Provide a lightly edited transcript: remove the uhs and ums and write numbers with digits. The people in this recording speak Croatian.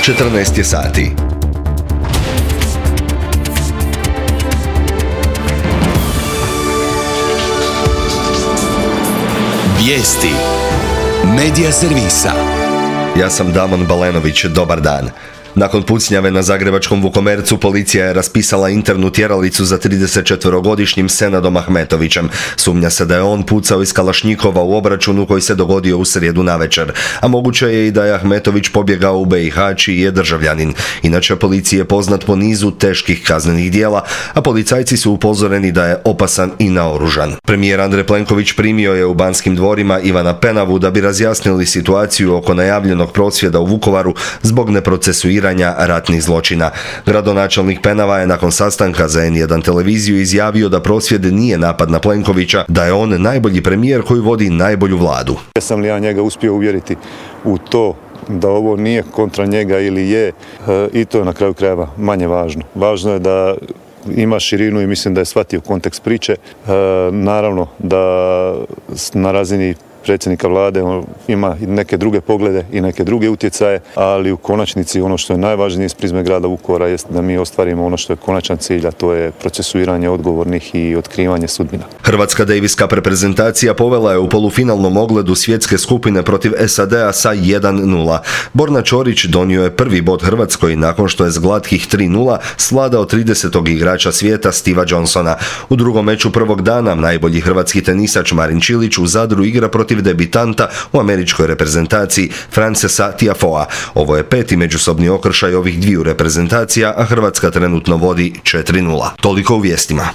14 je sati. Vijesti Medija servisa. Ja sam Damon Balenović, dobar dan. Nakon pucnjave na zagrebačkom Vukomercu policija je raspisala internu tjeralicu za 34-godišnjim Senadom Ahmetovićem. Sumnja se da je on pucao iz kalašnjikova u obračunu koji se dogodio u srijedu navečer, a moguće je i da je Ahmetović pobjegao u BiH čiji je državljanin. Inače, policiji je poznat po nizu teških kaznenih djela, a policajci su upozoreni da je opasan i naoružan. Premijer Andrej Plenković primio je u Banskim dvorima Ivana Penavu da bi razjasnili situaciju oko najavljenog prosvjeda u Vukovaru zbog neprocesuiranja ratnih zločina. Gradonačelnik Penava je nakon sastanka za N1 televiziju izjavio da prosvjed nije napad na Plenkovića, da je on najbolji premijer koji vodi najbolju vladu. Jesam li ja njega uspio uvjeriti u to da ovo nije kontra njega ili je, i to je na kraju krajeva manje važno. Važno je da ima širinu i mislim da je shvatio kontekst priče. Naravno da na razini predsjednika vlade ima i neke druge poglede i neke druge utjecaje, ali u konačnici ono što je najvažnije iz prizme grada Vukovara jest da mi ostvarimo ono što je konačan cilj, a to je procesuiranje odgovornih i otkrivanje sudbina. Hrvatska Davis Cup reprezentacija povela je u polufinalnom ogledu svjetske skupine protiv SAD-a sa 1:0. Borna Ćorić donio je prvi bod Hrvatskoj nakon što je s glatkih 3:0 svladao 30. igrača svijeta Steva Johnsona. U drugom meču prvog dana najbolji hrvatski tenisač Marin Čilić u Zadru igra protiv debitanta u američkoj reprezentaciji Francesa Tiafoea. Ovo je peti međusobni okršaj ovih dviju reprezentacija, a Hrvatska trenutno vodi 4:0. Toliko u vijestima.